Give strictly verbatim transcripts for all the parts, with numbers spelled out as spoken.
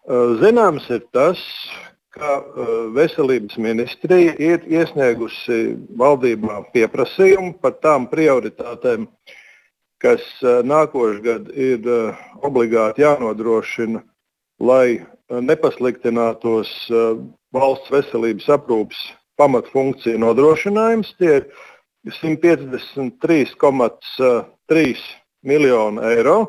Zināms ir tas, ka veselības ministrija ir iesniegusi valdībā pieprasījumu par tām prioritātēm, kas nākošgad ir obligāti jānodrošina, lai nepasliktinātos valsts veselības aprūpes pamatfunkciju nodrošinājums. Tie ir simt piecdesmit trīs komats trīs miljoni eiro.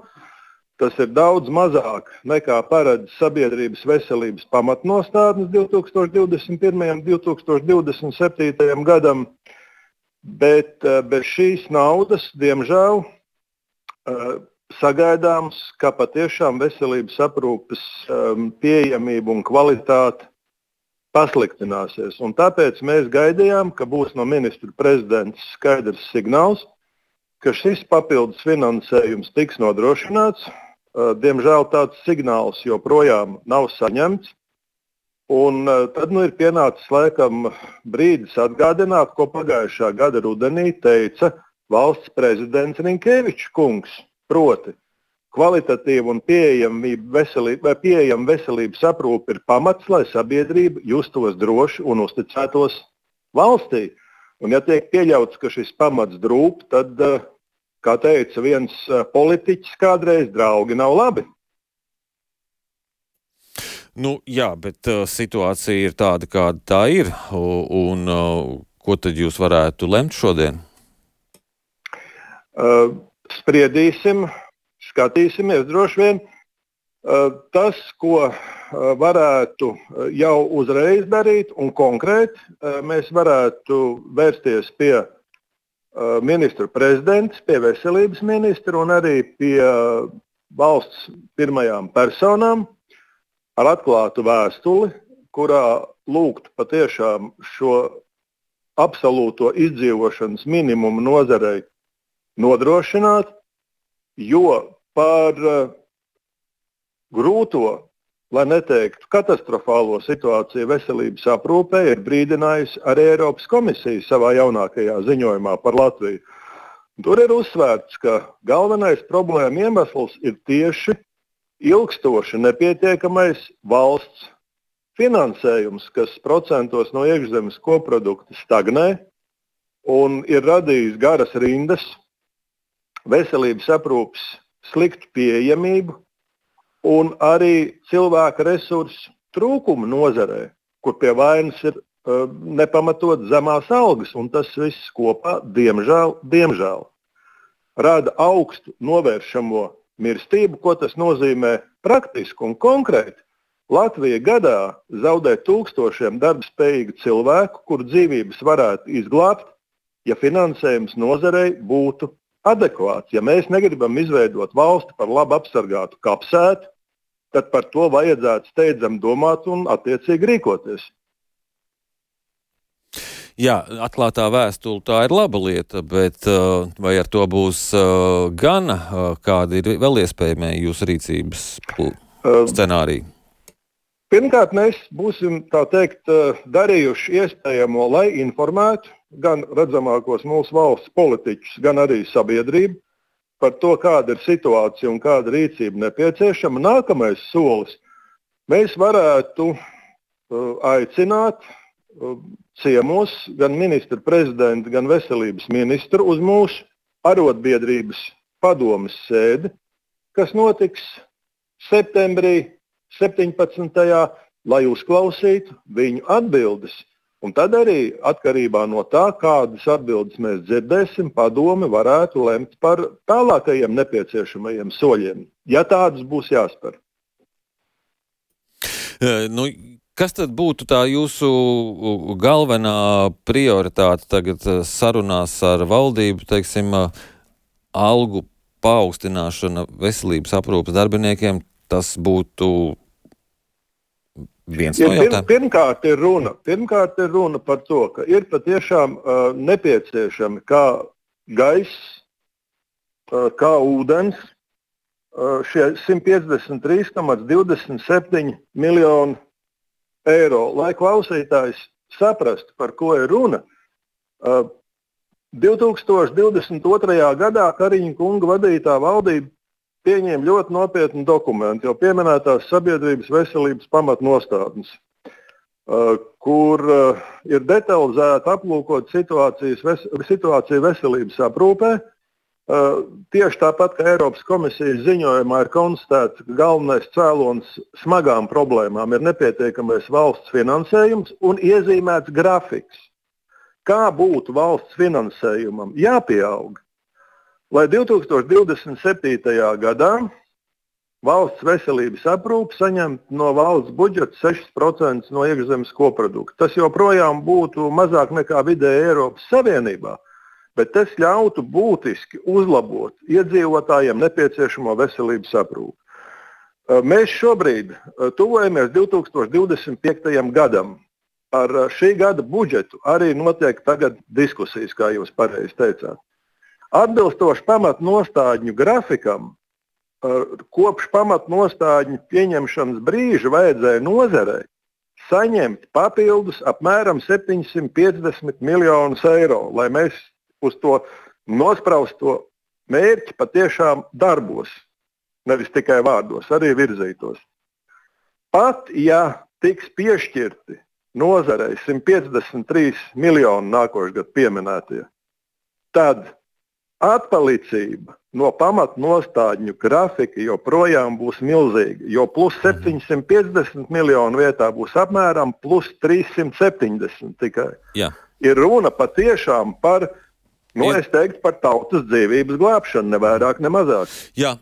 Tas ir daudz mazāk nekā paredz sabiedrības veselības pamatnostādnes divi tūkstoši divdesmit pirmajam un divi tūkstoši divdesmit septītajam gadam, bet bez šīs naudas, diemžēl, sagaidāms, ka patiešām veselības aprūpes pieejamība un kvalitāte pasliktināsies. Un tāpēc mēs gaidījām, ka būs no ministra prezidents skaidrs signāls, ka šis papildus finansējums tiks nodrošināts. Diemžēl tāds signāls joprojām nav saņemts. Un tad nu, ir pienācis laikam brīdis atgādināt, ko pagājušā gada rudenī teica valsts prezidents Rinkevičs kungs. Proti, kvalitatīva un pieejama veselība, pieejama veselības aprūpe ir pamats, lai sabiedrība justos droši un uzticētos valstī. Un ja tiek pieļauts, ka šis pamats drūp, tad kā teica viens politiķis kādreiz, draugi nav labi. Nu, jā, bet uh, situācija ir tāda, kāda tā ir. Un uh, ko tad jūs varētu lemt šodien? Uh, spriedīsim, skatīsimies droši vien. Uh, tas, ko uh, varētu jau uzreiz darīt un konkrēti, uh, mēs varētu vērsties pie ministru prezidents, pie veselības ministra un arī pie valsts pirmajām personām ar atklātu vēstuli, kurā lūgtu patiešām šo absolūto izdzīvošanas minimumu nozarei nodrošināt, jo par grūto, lai neteiktu katastrofālo situāciju veselības aprūpē, ir brīdinājusi arī Eiropas komisija savā jaunākajā ziņojumā par Latviju. Tur ir uzsvērts, ka galvenais problēma iemesls ir tieši ilgstoši nepietiekamais valsts finansējums, kas procentos no iekšzemes koprodukta stagnē un ir radījis garas rindas, veselības aprūpes sliktu pieejamību, un arī cilvēka resursu trūkumu nozarē, kur pie vainas ir uh, nepamatot zemās algas, un tas viss kopā, diemžēl, diemžēl, rada augstu novēršamo mirstību, ko tas nozīmē praktiski un konkrēti. Latvija gadā zaudē tūkstošiem darbspējīgu cilvēku, kur dzīvības varētu izglābt, ja finansējums nozarei būtu adekvāts. Ja mēs negribam izveidot valsti par labi apsargātu kapsētu, tad par to vajadzētu steidzami domāt un attiecīgi rīkoties. Jā, atklātā vēstule tā ir laba lieta, bet vai ar to būs gana, kādi ir vēl iespējamie jūsu rīcības scenāriji? Pirmkārt, mēs būsim, tā teikt, darījuši iespējamo, lai informētu gan redzamākos mūsu valsts politiķus, gan arī sabiedrību par to, kāda ir situācija un kāda rīcība nepieciešama. Nākamais solis. Mēs varētu aicināt ciemos gan ministru prezidentu, gan veselības ministru uz mūsu arotbiedrības padomes sēdi, kas notiks septembrī septiņpadsmitajā lai uzklausītu viņu atbildes. Un tad arī atkarībā no tā, kādas atbildes mēs dzirdēsim, padome varētu lemt par tālākajiem nepieciešamajiem soļiem, ja tādas būs jāspēr. Nu, kas tad būtu tā jūsu galvenā prioritāte tagad sarunās ar valdību, teiksim, algu paaugstināšana veselības aprūpes darbiniekiem, tas būtu viens no jautājumiem? Pirmkārt ir runa, pirmkārt ir runa par to, ka ir patiešām uh, nepieciešami kā gaiss, uh, kā ūdens, uh, šie simt piecdesmit trīs komats divdesmit septiņi miljoni eiro, lai klausītājs saprastu, par ko ir runa. Uh, divi tūkstoši divdesmit otrajā gadā Kariņa kunga vadītā valdība pieņēma ļoti nopietnu dokumentu, jau pieminētās sabiedrības veselības pamatnostādnes, kur ir detalizēti aplūkot situācijas, situāciju veselības aprūpē. Tieši tāpat, kā Eiropas komisijas ziņojumā ir konstatēts, ka galvenais cēlonis smagām problēmām ir nepietiekamais valsts finansējums un iezīmēts grafiks. Kā būtu valsts finansējumam jāpieaug, lai divi tūkstoši divdesmit septītajā gadā valsts veselības aprūpe saņemtu no valsts budžeta sešus procentus no iekšzemes koprodukta. Tas joprojām būtu mazāk nekā vidēji Eiropas Savienībā, bet tas ļautu būtiski uzlabot iedzīvotājiem nepieciešamo veselības aprūpi. Mēs šobrīd tuvojamies divi tūkstoši divdesmit piektajam gadam. Par šī gada budžetu arī notiek tagad diskusijas, kā jūs pareizi teicāt. Atbilstoši pamatnostādņu grafikam, kopš pamatnostādņu pieņemšanas brīža vajadzēja nozarei saņemt papildus apmēram septiņsimt piecdesmit miljonus eiro, lai mēs uz to nosprausto mērķi patiešām darbos, nevis tikai vārdos, arī virzītos. Pat ja tiks piešķirti nozarei simt piecdesmit trīs miljoni nākošais gadu pieminētie, tad atpalicība no pamatnostādņu grafika joprojām būs milzīga, jo plus septiņsimt piecdesmit miljonu vietā būs apmēram plus trīssimt septiņdesmit tikai. Jā. Ir runa patiešām par, nu, es teiktu, par tautas dzīvības glābšanu, ne vairāk, ne mazāk. Jā.